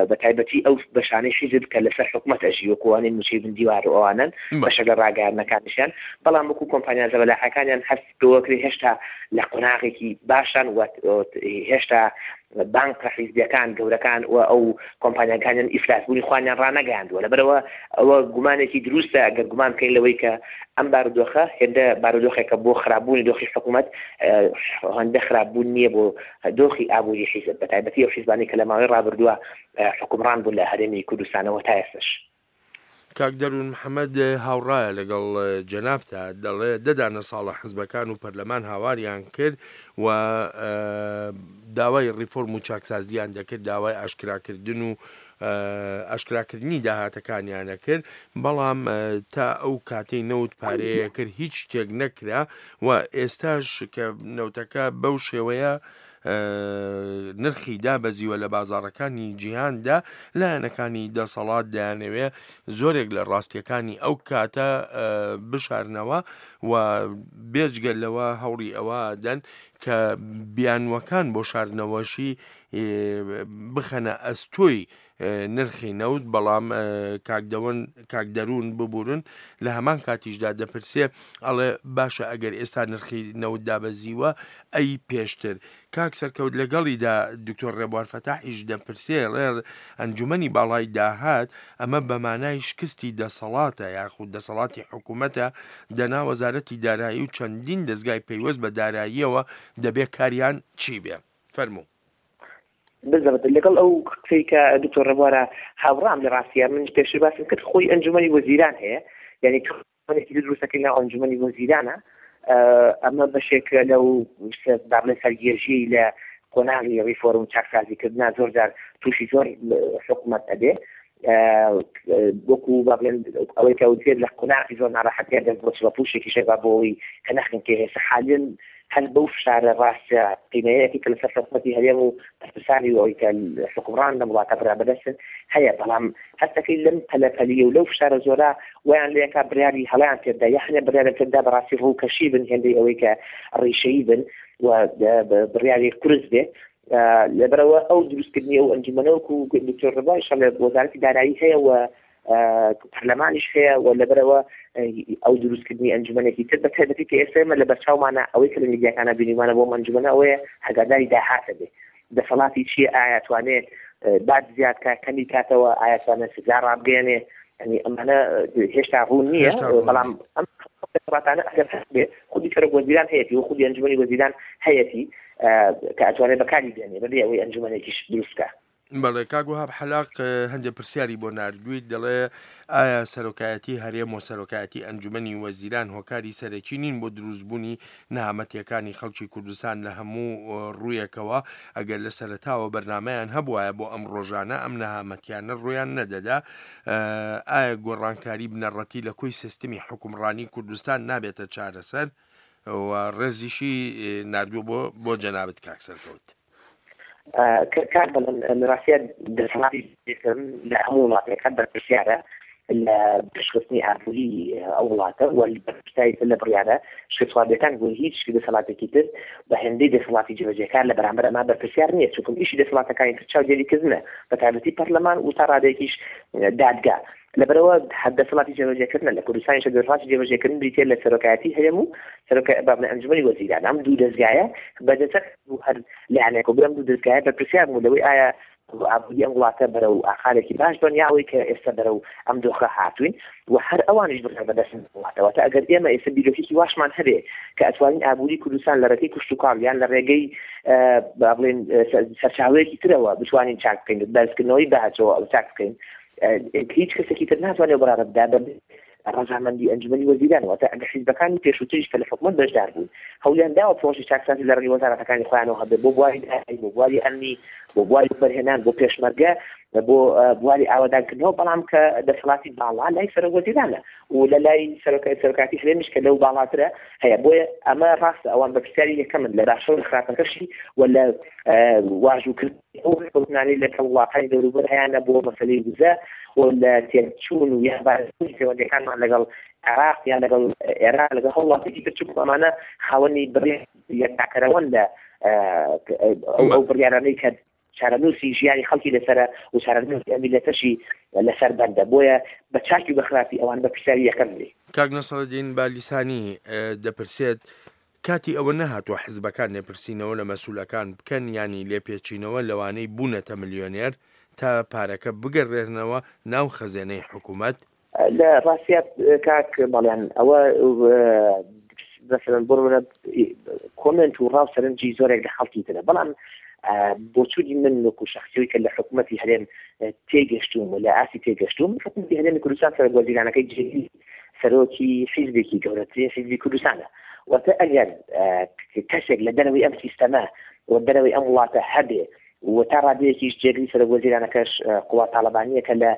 بە تایبەتی ئەو بەشانەی حیزب کە لەسەر حکومەت ئەژی وەکوانەی موچەی بن دیوار و ئەوانن بەشێک لە ڕاگەیاندنەکانیشیان، بەڵام وەکو کۆمپانیا زەبەلاحەکانیان هەست پێوەکرێ هێشتا لە قۆناغێکی باشان و هێشتا بانکە حیزبیەکان گەورەکان و ئەو کۆمپانیاکانیان ئیفلاسبوونی خوانیان ڕانەگەیاندووە. لەبەرەوە ئەوە گومانێکی دروستە ئەگەر گومان بکەین لەوەی کە ئەم بارودۆخە هێندە بارودۆخێکە بۆ خراپبوونی دۆخی حکوومەت، هەندە خراپبوون نییە بۆ دۆخی ئابووری حیزب، بە تایبەتی ئەو حیزبانەی کە لە ماوەی ڕابردووە حکومڕان بوون لە هەرێمی کوردستانەوە تا ئێستاش. کاک دەروون محەممەد هاوڕایە لەگەڵ جەنابتا، دەڵێ دەدانە ساڵە حزبەکان و پەرلەمان هاواریان کرد و داوای ڕیفۆرم و چاکسازیان دەکرد، داوای ئاشکراکردن و ئاشکراکردنی داهاتەکانیانە کرد، بەڵام تا ئەو کاتەی نەوت پارەیە کرد هیچ شتێک نەکرا و ئێستاش کە نەوتەکە بەو شێوەیە نرخی دابەزیوە لە بازاڕەکانی جیهاندا، لایەنەکانی دەسەڵات دەیانەوێ زۆرێک لە ڕاستیەکانی ئەو کاتە بشارنەوە و بێجگە لەوە هەوڵی ئەوە دەن کە بیانوەکان بۆ شاردنەوەشی بخەنە ئەستۆی نرخی نەوت. بەڵام کاک دەروون ببورن لە هەمان کاتیشدا دەپرسێ ئەڵێ باشە ئەگەر ئێستا نرخی نەوت دابەزیوە ئەی پێشتر. کاک سەرکەوت لەگەڵیدا دکتۆر ڕێبوار فەتاحیش دەپرسێ ڵێ ئەنجومەنی باڵای داهات ئەمە بە مانای شکستی دەسەڵاتە یاخود دەسەڵاتی حکوومەتە، دەنا وەزارەتی دارایی و چەندین دەستگای پەیوەست بە داراییەوە دەبێ کاریان چی بێ؟ فەرموو. بالضبط لەگەڵ ئەو قسەی کە دکتۆر ڕێبوارە هاوڕام لە ڕاستیە. من پێشتر باسم کرد خۆی ئەنجومەنی وەزیران هەیە، یعنی تۆ دروستەکەی ناو ئەنجومەنی وەزیرانە، ئەمە بەشێک لەو بابلە سەرگێژی لە قۆناغی ڕیفۆرم و چاکسازیکردنا زۆر جار تووشی زۆر حکوومەت ئەبێ، وەکو با بڵێن ئەوەی کە وترێت لە قۆناغی زۆر ناڕەحەتیان دەست بۆ چڵەپوشێکی شێبا بۆ ئەوەی کە نەخن کێ هێستا حالین هەر بەو فشارە ڕاستە قیمەیەکی کە لەسەر حکوومەتی هەرێم و بەرپرسانی ئەوەی کە حکومڕان لەم وڵاتە برا بەدەستن هەیە، بەڵام هەستەکەی لەم پەلەپەلیە و لەو فشارە زۆرە ویان لێکا بڕیاری هەڵیان پێدا یا هەنێ بڕیاریان پێدا بەڕاستی ڕووکەشی بن هێندەی ئەوەی کە ڕیشەیی بن و بڕیاری قورس بێ. لەبەرەوە ئەو دروستکردنی ئەو ئەنجومەنە وەکو دکتۆر ڕێبوار ئەڵێ وەزارەتی دارایی هەیە و پەرلەمانیش هەیە و لەبەرەوە ئەو دروستکردنی ئەنجومەنێکی تر بە تایبەتی کە ئێستا ئێمە لە بەرچاومانە ئەوەی کە لە میدیاکانە بینیمانە بۆ ئەنجومەنە ئەوەیە ئاگاداری داهاتە بێ، دەسەڵاتی چییە، ئایا توانێ باج زیاد کا کەمی کاتەوە، ئایا توانێ سزا ڕابگەیەنێ، یعنی ئەمانە هێشتا ڕوون نییە. بەڵام ئەم دەسەڵاتانە ئەگەر هەبێ خودی سەرۆک وەزیران هەیەتی و خودی ئەنجومەنی وەزیران هەیەتی کە ئەتوانێت بەکاری بێنێ بەبێ ئەوەی ئەنجومەنێکیش دروست بکا. بەڵێ کاک وەهاب حەلاق هەندێک پرسیاری بۆ ناردوویت، دەڵێ ئایا سەرۆکایەتی هەرێم و سەرۆکایەتی ئەنجومەنی وەزیران هۆکاری سەرەکی نین بۆ دروستبوونی نەهامەتیەکانی خەڵکی کوردستان لە هەموو ڕوویەکەوە؟ ئەگەر لە سەرەتاوە بەرنامەیان هەبوایە بۆ ئەم ڕۆژانە ئەم نەهامەتیانە ڕویان نەدەدا، ئایا گۆڕانکاری بنەڕەتی لە کۆی سیستمی حکومڕانی کوردستان نابێتە چارەسەر؟ و ڕێزیشی ناردووە بۆ بۆ جەنابت کاک سەرکەوت. کار بەڵێن لە ڕاستیە دەسەڵاتی لە هەموو وڵاتێکە بەرپرسیارە لە پێشخستنی ئابووری ئەو وڵاتە و بەرپرسیاری لە بڕیارە شکستخواردەکان بۆ هیچ دەسەڵاتێکی تر بە هێندەی دەسەڵاتی جێبەجێکار لە بەرامبەر ئەمە بەرپرسیار نییە، چونکە ئیشی دەسەڵاتەکانی تر چاودێریکردنە بە تایبەتی پەرلەمان و تا ڕادەیەکیش دادگا. لەبەرەوە دەسەڵاتی جێبەجێکردنە لە کوردستانیش دەسەڵاتی جێبەجێکردن بریتییە لە سەرۆکایەتی هەرێم و سەرۆک بابنە ئەنجومەنی وەزیران. ئەم دوو دەزگایە بەدەسەر هەر لایەنێک و ئەم دوو دەزگایە بەرپرسیار بوو لەوەی ئایا ئابووری ئەم وڵاتە بەرەو ئاقارێکی باش بن یا ئەوەی کە ئێستا بەرەو ئەم دۆخە هاتوین و هەر ئەوانیش بڕیار بەدەستن وڵاتەوە. تا ئەگەر ئێمە ئێستا بیرۆکێکی واشمان هەبێ کە ئەتوانین ئابووری کوردستان لە ڕێگەی کشتوکاڵ یان لە ڕێگەی با بڵێن سەرچاوەیەکی ترەوە بتوانین چاک بکەین، بەرزکردنەوەی باجەوە ئەو چاک بکەین، هیچ کەسێکی تر ناتوانێت بڕیار بدات بە ڕەزامەندی ئەنجومەنی وەزیران. واتە ئەگەر حیزبەکانی پێشووتریش کە لە حکومەت بەشدار بوون هەوڵیان داوە پرۆژەی چاکسازی لە ڕێگەی وەزارەتەکانی خۆیانەوە هەبێت بۆ بواری دارایی، بۆ بواری ئەمنی، بۆ بواری وەبەرهێنان، بۆ پێشمەرگە، بۆ بواری ئاوەدانکردنەوە، بەڵام کە دەسەڵاتی باڵا لای سەرۆک وەزیرانە و لە لای سەرۆکاتی هەرێمیش کە لەو باڵاترە هەیە. بۆیە ئەمە ڕاستە ئەوان بەرپرسیاری یەکەمن لە باشە و لە خراپەکەشی و لە واژووکردنی ئەو ڕێککەوتنانەی لەگەڵ وڵاتانی دەوروبەر هەیانە بۆ مەسەلەی وزە و لە تێکچوون و یان بارزبوونی پەیوەندیەکانمان لەگەڵ عێراق یان لەگەڵ ئێران لەگەڵ هەر وڵاتێکی تر، چونکە ئەمانە خاوەنی بڕیار یەکلاکەرەوەن لە ئەو بڕیارانەی کە چارەنووسی ژیانی خەڵکی لەسەرە و چارەنووسی ئەم میللەتەشی لەسەر بەندە. بۆیە بە چاکی و بە خراپی ئەوان بە پرسیاری یەکەم لێ. کاک نەسرەدین بالیسانی دەپرسێت کاتی ئەوە نەهاتووە حزبەکان لێپرسینەوە لە مەسوولەکان بکەن، یانی لێپێچینەوە لەوانەی بوونەتە ملیۆنێر تا پارەکە بگەڕێنەوە ناو خەزێنەی حکوومەت؟ لە ڕاستیات کاک بەڵێن ئەوە مثلا بۆ نمونە کۆمێنت و ڕاو سەرنجی زۆرێک لە خەڵکی ترە، بەڵام بۆچوونی من وەکو شخصیەوەی کە لە حکوومەتی هەرێم تێگەشتوم و لە ئاستی تێگەشتوم، حکوومەتی هەرێمی کوردستان سەرۆک وەزیرانەکەی جێگری سەرۆکی حیزبێکی گەورەترین حیزبی کوردستانە. واتە ئەگەر کەسێک لە دەرەوەی ئەم سیستەمە و دەرەوەی ئەم وڵاتە هەبێ و تا ڕادەیەکیش جێگری سەرۆک وەزیرانەکەش قوباد تاڵەبانییە کە لە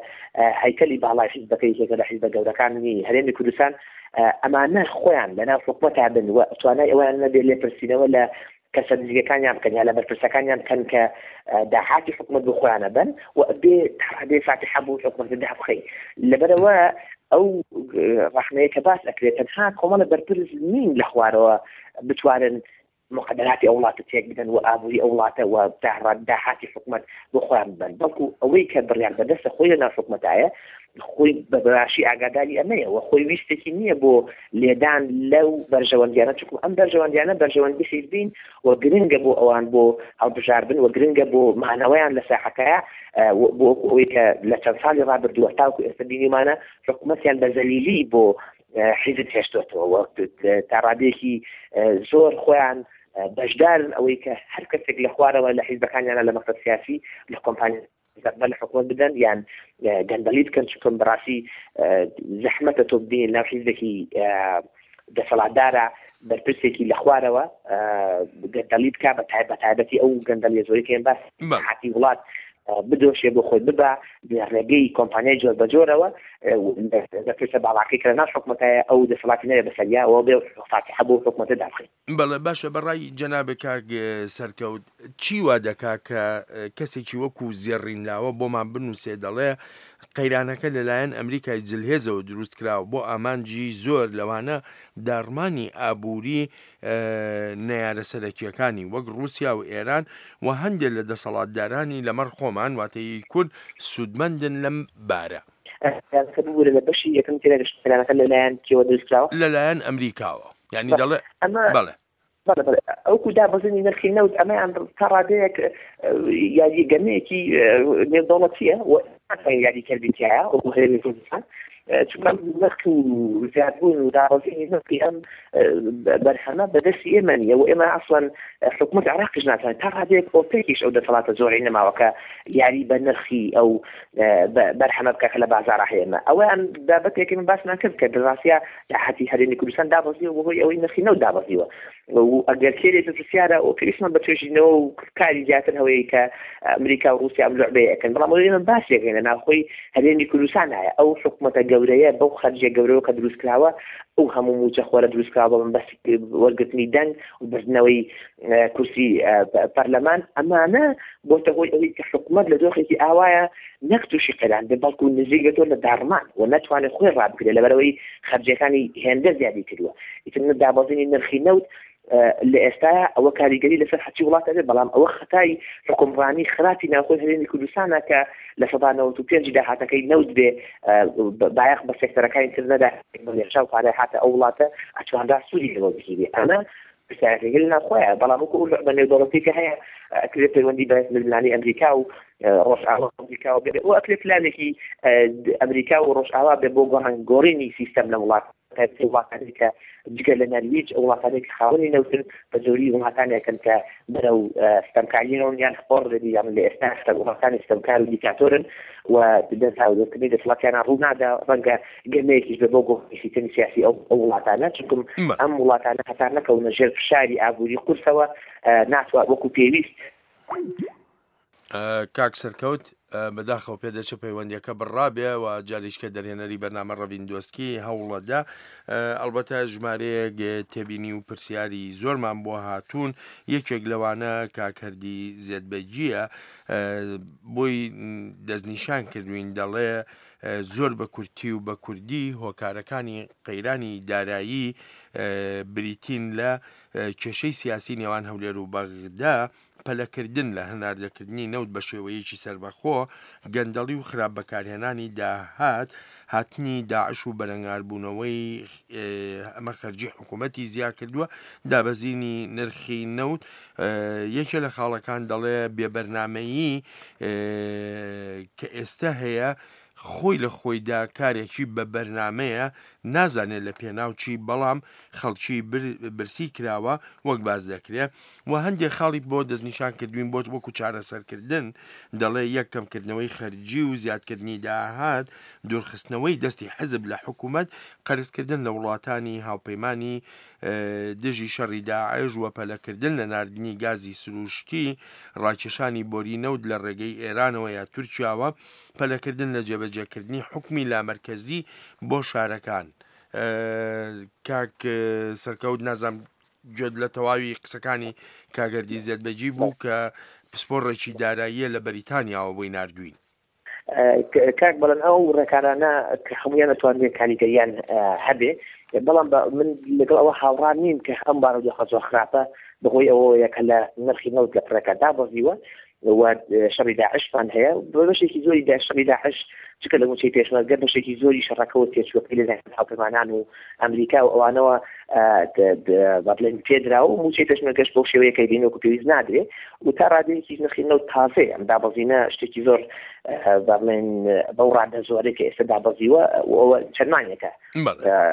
هەیکەلی باڵای حیزبەکە یەکێکە لە حیزبە گەورەکانی هەرێمی کوردستان، ئەمانە خۆیان لەناو حکومەتا بن و توانای ئەویان نەبێت لێپرسینەوە لە کەسە نزیکەکانیان بکەن یا لە بەرپرسەکانیان بکەن کە داهاتی حکومەت بۆ خۆیانە بن و بێ تا ڕادەیە فاتیحە بۆ حکومەت دابخەی. لەبەرەوە ئەو ڕەخنەیە کە باس ئەکرێت تەنها کۆمەڵە بەرپرس نین لە خوارەوە بتوانن مقدراتی ئەو وڵاتە تێک بدەن و ئابووری ئەو وڵاتە و داهاتی حکومەت بۆ خۆیان ببەن، بەڵکو ئەوەی کە بڕیار بەدەستە خۆی لەناو حکومەتایە خۆی بە باشی ئاگاداری ئەمەیە و خۆی ویستێکی نییە بۆ لێدان لەو بەرژەوەندیانە، چونکە ئەم بەرژەوەندیانە بەرژەوەندی حیزبین و گرنگە بۆ ئەوان بۆ هەڵبژاردن و گرنگە بۆ مانەوەیان لە ساحەکەیە، بۆ ئەوەی کە لە چەند ساڵی ڕابردووە تاوەکو ئێستا بینیمانە حکومەتیان بە زەلیلی بۆ حیزب هێشتۆتەوە و تا ڕادەیەکی زۆر خۆیان بەشدارن ئەوەی کە هەر کەسێک لە خوارەوە لە حیزبەکانیانە لە مەکتەب سیاسی لە کۆمپانیا بە لە حکومەت بدەن یان گەندەڵی بکەن، چونکە بەڕاستی زەحمەتە تۆ ببینی لەناو حیزبێکی دەسەڵاتدارە بەرپرسێکی لە خوارەوە گەندەڵی بکا، بە تایبەتی ئەو گەندەڵیە زۆری کە ئێمە باس حاتی وڵات بدۆشێ بۆ خۆی ببا لە ڕێگەی کۆمپانیای جۆر بە جۆرەوە بەرپرسە باڵاکەی کە لەناو حکومەتایە ئەو دەسەڵاتی نەبێ بەسەریا ئەوە بێ فاتیحە بۆ حکومەتە دابخەین. بەڵێ باشە، بەڕای جەنابێ کاک سەرکەوت چی وا دەکا کە کەسێکی وەکو زێڕین لاوە بۆمان بنووسێ دەڵێ قەیرانەکە لەلایەن ئەمریکای زلهێزەوە دروست کراوە بۆ ئامانجی زۆر لەوانە داڕمانی ئابووری نەیارە سەرەکیەکانی وەک رووسیا و ئێران و هەندێک لە دەسەڵاتدارانی لەمەڕ خۆمان واتەی کورد سوودمەندن لەم بارە. قەیرانەکە ببوورە لە بەشی یەکەم تێنەگەشت قەیرانەکە لەلایەن کێوە دروست کراوە؟ لەلایەن ئەمریکاوە، یعنی دەڵێ ئەمە بەڵێ بەڵێ بەڵێ ئەوکو دابەزینی نرخی نەوت ئەمەیان تا ڕادەیەک یاری گەمەیەکی نێودەوڵەتیە و یاری کردی تایە وەکو هەرێمی کوردستان، چونکە نرخ و زیادبوون و دابەزینی نرخی ئەم بەرهەمە بەدەستی ئێمە نییە و ئێمە ئەسڵەن حکوومەت عێراقیش ناتوانێت تا ڕادەیەک ئۆپێکیش ئەو دەسەڵاتە زۆرەی نەماوە کە یاری بە نرخی ئەو بەرهەمە بکە کە لە بازاڕا هەیە. ئێمە ئەوەیان بابەتێکی من باسمان کرد کە بەڕاستیە داهاتی هەرێمی کوردستان دابەزیوە بەهۆی ئەوەی نرخی نەوت دابەزیوە و ئەگەر کێ پرسیارە ئەو پێویستمان بە توێژینەوە و کاری زیاتر هەوەیە کە ئەمریکا و رووسیا ئەم لعبەیە ئەکەن، بەڵام ئەوەی ئێمە باسێکەین لە ناوخۆی هەرێمی کوردستان هەیە ئەو حکوومەتە گەورەیە بەو خەرجیە گەورەوە کە دروست کراوە ئەو هەموو موچە خۆرە دروست کراوە بە مەبەستی وەرگرتنی دەنگ و بردنەوەی کورسی پەرلەمان، ئەمانە بۆتە هۆی ئەوەی کە حکوومەت لە دۆخێکی ئاوایە نەک تووشی قەیران بێ بەڵکو نزیک بێتەوە لە داڕمان و نەتوانێت خۆی ڕابگرێت لەبەرەوەی خەرجیەکانی هێندە زیادی کردووە. ئیتر دابەزینی نرخی نەوت لە ئێستایا ئەوە کاریگەری لەسەر هەرچی وڵات ئەبێ، بەڵام ئەوە خەتای حکومڕانی خراپی ناوخۆی هەرێمی کوردستانە کە لە سەدا نەوەت و پێنجی داهاتەکەی نەوت بێ بایەخ بە سێکتەرەکانی تر نەدا، بە پارە هاتە ئەو وڵاتە ئەتوانرا سوودی لەوە بگیرێ. ئەمە پرسیارەکەی لە ناوخۆیە، بەڵام وەکو ئەو لعبە نێودەوڵەتی کە هەیە ئەکرێت پەیوەندی بە ململانێی ئەمریکا و ڕۆژئاوا ئەمریکا بێ و ئەکرێت پلانێکی ئەمریکا و ڕۆژئاوا بێ بۆ گۆڕینی سیستەم لە وڵات، وڵاتانی کە جگە لە نەرویج وڵاتانی کە خاوەنی نەوتن بە زۆری وڵاتانێکن کە بەرەو ستەمکاریەوە یان ئۆڕێدی یان لە ئێستا وڵاتانی ستەمکار و دیکتاتۆرن و دەستهاوردنی دەسەڵاتیانە ڕوو نادا. ڕەنگە گەمەیەکیش بێ بۆ گۆڕینی سیستەمی سیاسی ئەو وڵاتانە، چونکم ئەم وڵاتانە هەتا نەکەونە ژێر فشاری ئابووری قورسەوە ناتوان وەکو پێویست. کاک سەرکەوت، بەداخەوە پێدەچێت پەیوەندیەکە بڕابێ و جاریشکە دەرهێنەری بەرنامە ڕەڤین دۆستکی هەوڵەدا. ئەلبەتە ژمارەیەک تێبینی و پرسیاری زۆرمان بۆ هاتوون، یەکێک لەوانە کاکردی زێدبەگیە بۆی دەستنیشان کردوین، دەڵێ زۆر بە کورتی و بە کوردی هۆکارەکانی قەیرانی دارایی بریتین لە کێشەی سیاسی نێوان هەولێر و بەغدا، پەلەکردن لە هەناردەکردنی نەوت بە شێوەیەکی سەربەخۆ، گەندەڵی و خراپ بەکارهێنانی داهات، هاتنی داعش و بەرەنگاربوونەوەی ئەمە خەرجی حکوومەتی زیاد کردووە، دابەزینی نرخی نەوت. یەکێ لە خاڵەکان دەڵێ بێبەرنامەیی کە ئێستا هەیە خۆی لە خۆیدا کارێکی بە بەرنمەیە، نازانێت لە پێناوچی، بەڵام خەڵکی برسی کراوە وەک باز دەکرێت. و هەندێک خاڵی بۆ دەستنیشان کردوین بۆ وەکو چارەسەرکردن، دەڵێ یەک کەمکردنەوەی خەرجی و زیادکردنی داهات، دوورخستنەوەی دەستی حەزب لە حکوومەت، قەرزکردن لە وڵاتانی هاوپەیمانی دژی شەڕی داعش و پەلەکردن لە ناردنی گازی سروشتی، ڕاکێشانی بۆری نەوت لە ڕێگەی ئێرانەوە یا تورکیاوە، پەلەکردن لە جێبەجێکردنی حکومی لامەرکەزی بۆ شارەکان. کاک سەرکەوت، نازام گوێت لە تەواوی قسەکانی کاگەردی زێدبەگی بوو کە پسپۆڕێکی داراییە لە بەریتانیاوە بۆی ناردوین. کاک بەڵێن ئەو ڕێکارانە کە هەمویان ئەتوانرێت کاریگەریان هەبێ، بەڵام من لەگەڵ ئەوە هاوڕان نیم کە ئەم بارودۆخە زۆر خراپە بەهۆی ئەوەیە کە لە نرخی نەوت لە پڕێکە دابەزیوە و شەڕی داعشمان هەیە. بە بەشێکی زۆری شەڕی داعش چکە لە موچەی پێشمەرگە بەشێکی زۆری شەڕەکەوە تێچووەکەی لەلایەن هاوپەیمانان و ئەمریکا و ئەوانەوە بە بڵێن پێدرا و موچەی پێشمەرگەش بەو شێوەیە کە بینی وەکو پێویست نادرێ و تا ڕادەیەکی نرخی نەوت تازەیە. ئەم دابەزینە شتێکی زۆر بە بڵێن بەو ڕادە زۆرەی کە ئێستا دابەزیوە ئەوە چەند مانگێکە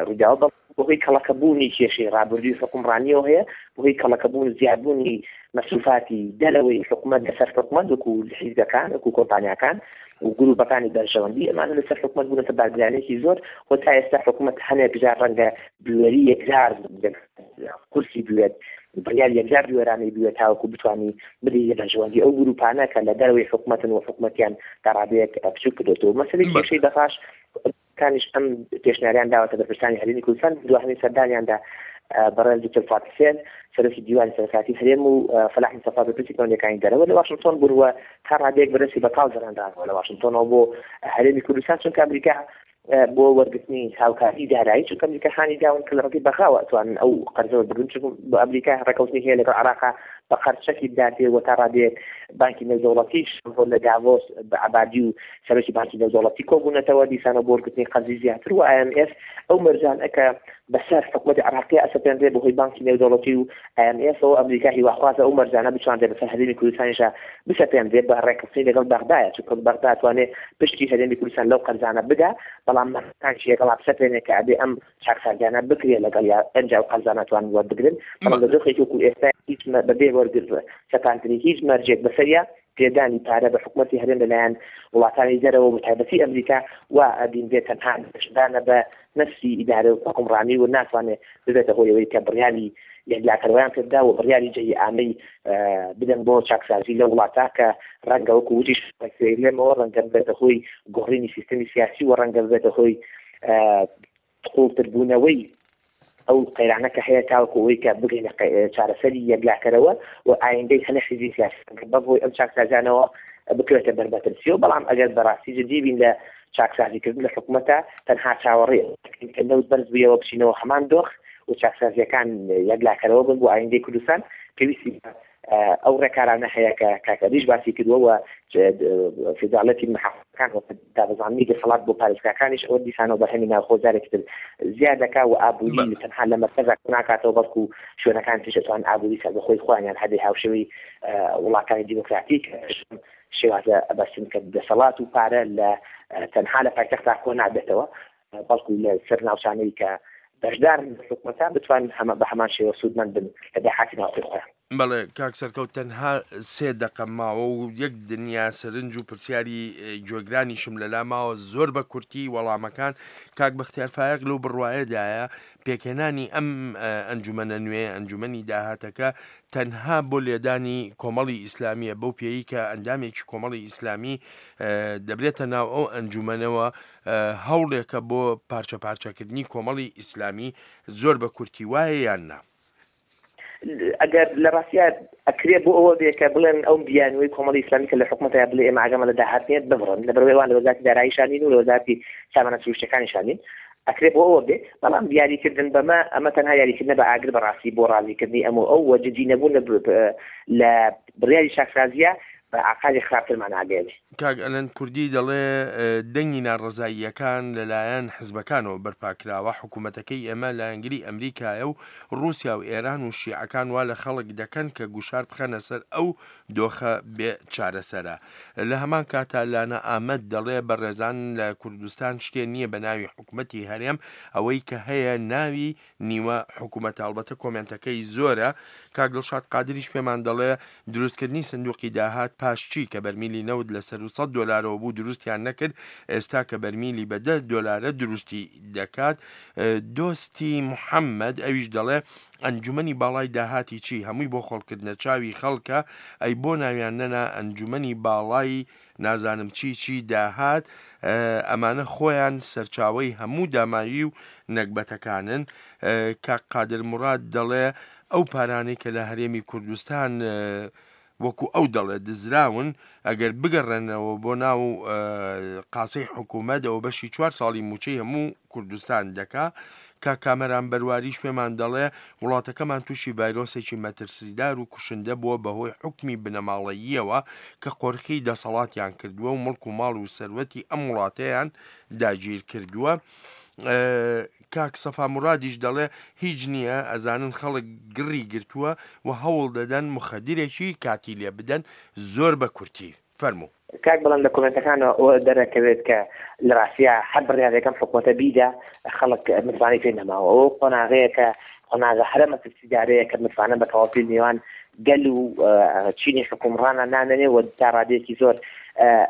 ڕووداوە، بەهۆی کەڵەکەبوونی کێشەی ڕابردووی حکومڕانیەوە هەیە، بەهۆی کەڵەکەبوون زیادبوونی مەسروفاتی دەرەوەی حکومەت لەسەر حکومەت وەکو حیزبەکان وەکو کۆمپانیاکان و گروپەکانی بەرژەوەندی ئەمانە لەسەر حکومەت بوونەتە بارگرانێکی زۆر و تا ئێستا حکومەت هەنێک جار ڕەنگە بوێری یەکجار کورسی بوێت، بڕیار یەکجار بوێرانەی بوێت تاوەکو بتوانی بدەی لە بەرژەوەندی ئەو گروپانە کە لە دەرەوەی حکومەتن و حکومەتیان تا ڕادەیەک بچووک کردێتەوە. مەسەلەی کێشەی بەغاش کانیش ئەم پێشنیاریان داوەتە بەرپرسانی هەرێمی کوردستان دواهەمین سەردانیاندا بەڕێز دکتۆر فاتح حسێن سەرۆکی دیوانی سەرۆکایەتی هەرێم و فەلاح مستەفا بەرپرسی پەیوەندییەکانی دەرەوە لە واشنگتۆن بوون و تا ڕادەیەک بەدەستی بەتاڵ گەڕێنرانەوە لە واشنگتۆنەوە بۆ هەرێمی کوردستان، چونکە ئەمریکا بۆ وەرگرتنی هاوکاری دارایی، چونکە ئەمریکا هانی داون کە لە ڕێگەی بەغاوە ئەتوانن ئەو قەرزە وەربگرن، چونکە بۆ ئەمریکا ڕێکەوتنی هەیە لەگەڵ عێراقا بە قەرز چەکی بداتێ و تا ڕادەیەک بانکی نێودەوڵەتیش لە داڤۆس بە عەبادی و سەرۆکی بانکی نێودەوڵەتی کۆبوونەتەوە دیسانەوە بۆ وەرگرتنی قەرزی زیاتر و ئای ئێم ئێف ئەو مەرجانە کە بەسەر حکوومەتی عێراقی ئەسەپێنرێ بەهۆی بانکی نێودەوڵەتی و ئای ئێم ئێفەوە ئەمریکا هیواخوازە ئەو مەرجانە بتوانرێ بەسەر هەرێمی کوردستانیشا بسەپێنرێ بە ڕێکخستنی لەگەڵ بەغدایە، چونکە بەغدا توانێت پشتی هەرێمی کوردستان لەو قەرزانە بدا، بەڵام مەرجەکانیش لەگەڵا بسەپێنێ کە ئەبێ ئەم چاکسازیانە بکرێ لەگەڵ یا ئەنجا ئەو قەرزانە توانن وەربگرن. بەڵام لە دۆخێکی وەکو ئێستا هیچ بەبێ وەرگر سەپاندنی هیچ مەرجێک بەسەریا پێدانی پارە بە حکوومەتی هەرێم لەلایەن وڵاتانی دەرەوە بە تایبەتی ئەمریکا وا ئەبینرێت تەنها دەشدانە بە نەفسی ئیدارە و حکومڕانی و ناتوانێت ببێتە هۆی ئەوەی کە بڕیاری یەکلاکەرەوەیان پێبدا و بڕیاری جێی ئامەی بدەن بۆ چاکسازی لە وڵاتە کە ڕەنگە وەکو وتیش لێمەوە ڕەنگە ببێتە هۆی گۆڕینی سیستەمی سیاسی و ڕەنگە ببێتە هۆی قوڵتربوونەوەی ئەو قەیرانە کە هەیە تاوەکو ئەوەی کە بگەینە چارەسەری یەکلاکەرەوە و ئایندەی هەنە حیزبی سیاسی بەهۆی ئەم چاکسازیانەوە بکەوێتە بەربەترسیەوە. بەڵام ئەگەر بەڕاستی جدی بین لە چاکسازیکردن لە حکوومەتە تەنها چاوەڕێ کە نەوت بەرز بوویەوە بچینەوە هەمان دۆخ و چاکسازیەکان یەکلاکەرەوە بن بۆ ئایندەی کوردستان پێویستی ئەو ڕێکارانە هەیە کە کاکەریش باسی کردووە و فیدراڵەتی محافظەکان و دابەزاندنی دەسەڵات بۆ پارێزگاکانیش ئەوە دیسانەوە بەرهەمی ناوخۆ جارێکی تر زیاد دەکا و ئابووری تەنها لە مەرکەزا ناکاتەوە بەڵکو شوێنەکان تریش ئەتوانن ئابووری سەربەخۆی خۆیانیان هەبێ هاوشێوەی وڵاتانی دیموکراتیک شێوازە ئەبەستن کە دەسەڵات و پارە لە تەنها لە پایتەختا کۆ نابێتەوە بەڵکو لە سەر ناوچانەی کە بەشدارن لە حکومەتە بتوانن بە هەمان شێوە سوودمەند بن لە داهاتی ناوخۆی خۆیان. بەڵێ کاک سەرکەوت تەنها سێ دەقە ماوە و یەک دنیا سەرنج و پرسیاری گوێگرانیشم لەلا ماوە زۆر بە کورتی وەڵامەکان. کاک بەختیار فایەق لەو بڕوایەدایە پێکهێنانی ئەم ئەنجومەنە نوێ ئەنجومەنی داهاتەکە تەنها بۆ لێدانی کۆمەڵی ئیسلامیە، بەو پێیی کە ئەندامێکی کۆمەڵی ئیسلامی دەبرێتە ناو ئەو ئەنجومەنەوە هەوڵێکە بۆ پارچە پارچەکردنی کۆمەڵی ئیسلامی. زۆر بە کورتی وایە یان نا؟ ئەگەر لە ڕاستیا ئەکرێ بۆ ئەوە بێ کە بڵێن ئەو بیانوەی کۆمەڵی ئیسلامی کە لە حکوومەتە بڵێ ئێمە ئاگامان لە داهات نییە ببڕن، لەبەرئەوەی ئەوان لە وەزارەتی داراییشان نین و لە وەزارەتی سامانە سروشتیەکانیشان نین، ئەکرێ بۆ ئەوە بێ. بەڵام دیاریکردن بەمە ئەمە تەنها یاریکردنە بە ئاگر بەڕاستی بۆ ڕازیکردنی ئەم و ئەو و جدی نەبوون لە بڕیاری چاکسازیە بە ئاقاری خراپترمان ئاگەیەنێ. کاک ئەلەند کوردی دەڵێ دەنگی ناڕەزاییەکان لەلایەن حزبەکانەوە بەرپاکراوە، حکوومەتەکەی ئێمە لایەنگری ئەمریکایە و رووسیا و ئێران و شیعەکان وا لە خەڵک دەکەن کە گوشار بخەنە سەر ئەو دۆخە بێ چارەسەرە. لە هەمان کاتا لانە ئامەد دەڵێ بەڕێزان لە کوردستان شتێ نییە بە ناوی حکوومەتی هەرێم، ئەوەی کە هەیە ناوی نیوە حکوومەتە. ئەڵبەتە کۆمێنتەکەی زۆرە. کاک دڵشاد قادریش پێمان دەڵێ دروستکردنی سندوقی داهات پاش چی کە بەرمیلی نەوت لە سەر سەد دۆلارەوە بوو دروستیان نەکرد، ئێستا کە بەرمیلی بە دە دۆلارە دروستی دەکات. دۆستی محەممەد ئەویش دەڵێ ئەنجومەنی باڵای داهاتی چی هەمووی بۆ خۆڵکردنە چاوی خەڵکە، ئەی بۆ ناویان نەنا ئەنجومەنی باڵای نازانم چی چی داهات، ئەمانە خۆیان سەرچاوەی هەموو داماوی و نەگبەتەکانن. کاک قادر مراد دەڵێ ئەو پارانەی کە لە هەرێمی کوردستان وەکو ئەو دەڵێ دزراون ئەگەر بگەڕێنەوە بۆ ناو قاسەی حکوومەت ئەوە بەشی چوار ساڵی موچەی هەموو کوردستان دەکا. کاک کامەران بەرواریش پێمان دەڵێ وڵاتەکەمان تووشی ڤایرۆسێکی مەترسیدار و کوشندە بووە بەهۆی حکمی بنەماڵەییەوە کە قۆرخی دەسەڵاتیان کردووە و مڵک و ماڵ و سەروەتی ئەم وڵاتەیان داگیر کردووە. کاک سەفا مرادیش دەڵێ هیچ نییە، ئەزانن خەڵک گڕی گرتووە و هەوڵ دەدەن مخدرێکی کاتی لێ بدەن. زۆر بە کورتی فەرموو. کاک بەڵام لە کۆمێنتەکانەوە ئەوە دەرەکەوێت کە لە ڕاستیا هەر بڕیارێکم حکوومەتە بیدا خەڵک متمانەی پێ نەماوە. ئەوە قۆناغەیە کە قۆناغە هەرە مەترسیدارەیە کە متمانە بە تەواوی نێوان گەل و چینی حکومڕانە نامێنێ و تا ڕادەیەکی زۆر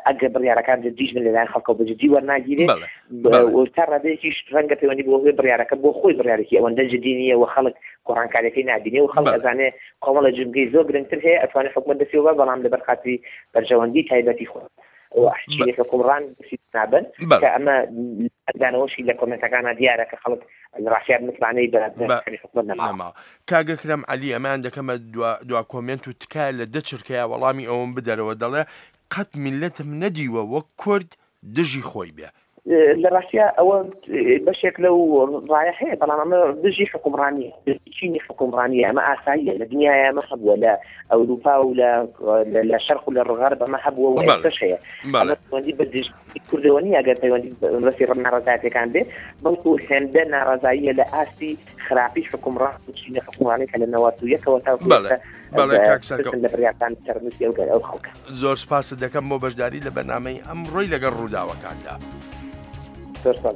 ئەگەر بڕیارەکان جدیش بن لەلایەن خەڵکەوە بە جدی وەرناگیرێ و تا ڕادەیەکیش ڕەنگە پەیوەندی بۆ هۆی بڕیارەکە بۆ خۆی بڕیارێکی ئەوەندە جدی نییە و خەڵک گۆڕانکاریەکەی نابینێ و خەڵک ئەزانێ کۆمەڵە جومگەی زۆر گرنگتر هەیە ئەتوانێت حکومەت دەستی بە، بەڵام لەبەر خاتری بەرژەوەندی تایبەتی خۆ و چینی حکومڕان دەستی نابن کە ئەمە دانەوەشی لە کۆمێنتەکانە دیارە کە خەڵک لە ڕاستیا متمانەی بە حکومەت نەماوە. کاک ئەکرەم عەلی ئەمان دەکەمە دوا کۆمێنت و تکایە لە دە چرکەیە وەڵامی ئەوم بدەرەوە. دەڵێ قەت میلەتم نەدیوە وەک کورد دژی خۆی بێ. لە ڕاستیا ئەوە بەشێک لەو ڕایە هەیە، بەڵام ئەمە دژی حکومڕانیە، چینی حکومڕانیە. ئەمە ئاساییە لە دنیاە، ئەمە هەبووە لە ئەوروپا و لە شەرق و لە غەرب ئەمە هەبووە و ئێستاش هەیە. ئەمە پەیوەندی بە دژی کوردەوە نییە ئەگەر پەیوەندی بەسی ناڕەزایەتیەکان بێ، بەڵکو هێندە ناڕەزاییە لە ئاستی خراپی حکومڕان و چینی حکومڕانی کە لە نەوەد و یەکەوە تاوەکو لە بڕیارەکان چارەنووسی ئەو ئەو خەڵکە. زۆر سپاست دەکەم بۆ بەشداری لە بەرنامەی ئەمڕۆی لەگەڵ ڕووداوەکاندا. زۆر سپاس.